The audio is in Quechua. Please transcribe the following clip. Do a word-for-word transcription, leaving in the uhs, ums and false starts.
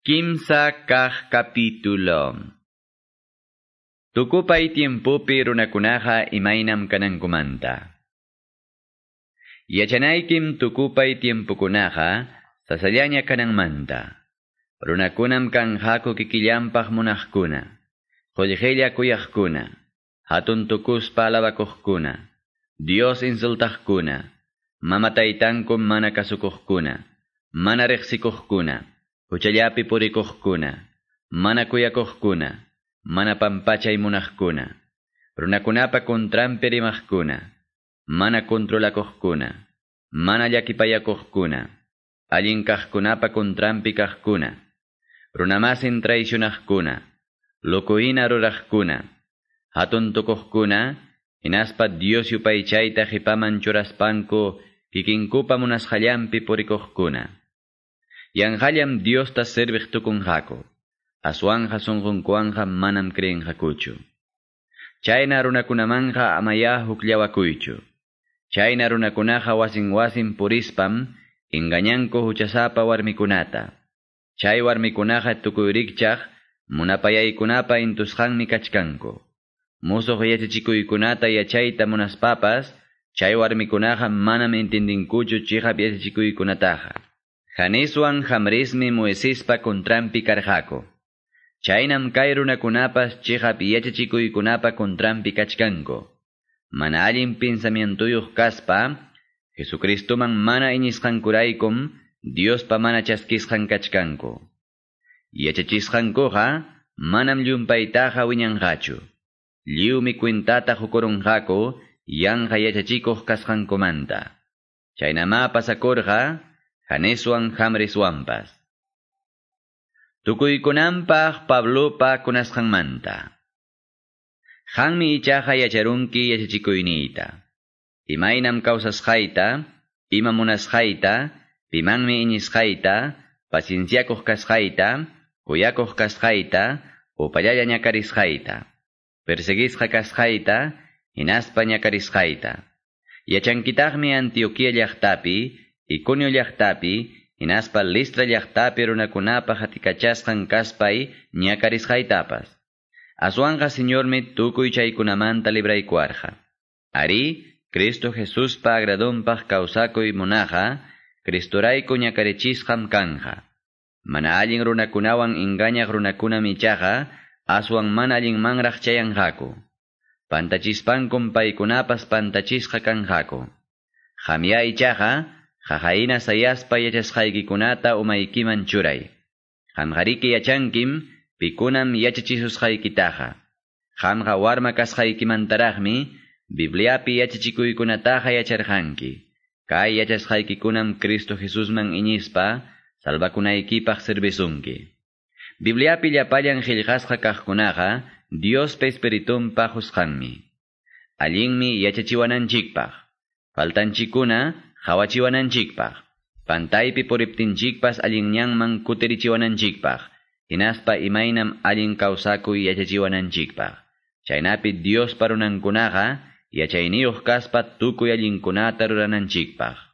Kimsa kaq capítulo. Tukupay tiempopi runakunaqa imaynam kanankumanta. Yachanaykim tukupay tiempokunaqa sasallaña kananmanta. Runakunam kanqaku kikillanpaq munaqkuna, qullqilla kuyaqkuna, hatun tukuspa alabakuqkuna, Dios insultaqkuna, mama taytanku mana kasukuqkuna, mana riqsikuqkuna, huchallapi purikuqkuna, mana kuyakuqkuna, mana pampachay munaqkuna, runakunapa contranpi rimaqkuna, mana controlakuqkuna, mana llakipayakuqkuna, allin kaqkunapa contranpi kaqkuna, runamasin traicionaqkuna, locohina ruraqkuna, hatun tukuqkuna, hinaspa Dios yupaychayta qipaman churaspanku kikinkupa munasqallanpi purikuqkuna. Yanqallam Diosta serviq tukunqaku, aswanqa sunqunkuwanqa manam creenqakuchu. Chayna runakunamanqa amaya hukllawakuychu. Chayna runakunaqa wasin wasin purispam engañanku huchasapa warmikunata. Chay warmikunaqa tukuy rikchaq munapayaykunapa intusqanmi kachkanku. Musuq yachachikuykunata yachayta munaspapas, chay warmikunaqa manam entendinkuchu chiqap yachachikuykunataqa. Janeswan Jambresmi Moisespa contranpi karqaku. Chaynam kay runakunapas chiqap yachachikuykunapa contranpi kachkanku. Mana allin pensamientuyuq kaspa, Jesucristoman mana iñisqankuraykum Diospa mana chaskisqan kachkanku. Yachachisqankuqa manam llumpaytaqa wiñanqachu. Lliwmi cuentata qukurunqaku yanqa yachachikuq kasqankumanta. Chaynamá pasakurqa Janeswan Jambreswanpas. Tukuykunanpaq Pablopa kunasqanmanta. Qanmi ichaqa yacharunki yachachikuyniyta. Imaynam kawsasqayta, ima munasqayta, pimanmi iñisqayta, pacienciakuq kasqayta, kuyakuq kasqayta, upallalla ñakarisqayta, perseguisqa kasqayta, hinaspa ñakarisqayta. Yachankitaqmi Antioquia llaqtapi, Iconio llaqtapi, hinaspa Listra llaqtapi runakunapa hatikachasqan kaspay ñakarisqaytapas. Aswanqa Señormi tukuy chaykunamanta libraykuwarqa. Arí, Cristo Jesuspa agradonpaq kawsakuy munaqqa, Cristorayku ñakarichisqam kanja. Mana allin runakunawan engañaq runakunam ichaqa, aswan mana allinmanraq chayanqaku. Pantachispankum paykunapas pantachisqa kanqaku. Qamya ichaqa, qaqahina sayaspa yachasqaykikunata umaykiman churay. Qamqariki yachankim, pikunam yachachisusqaykitaqa. Qamqa warma kasqaykimantaraqmi, Bibliapi yachachikuykunataqa yacharqanki. Kay yachasqaykikunam Cristo Jesusman iñispa, salvakunaykipaq servisunki. Bibliapi llapallan qillqasqa kaqkunaqa, Diospa Espiritunpa qusqanmi. Allinmi yachachiwananchikpaq. Faltanchikuna qawachiwananchikpaq. Pantaypi puriptinchikpas allin ñanman kutirichiwananchikpaq. Hinaspa imaynam allin kawsakuy yachachiwananchikpaq. Chaynapi Diospa runankunaqa yachayniyuq kaspa tukuy allinkunata rurananchikpaq.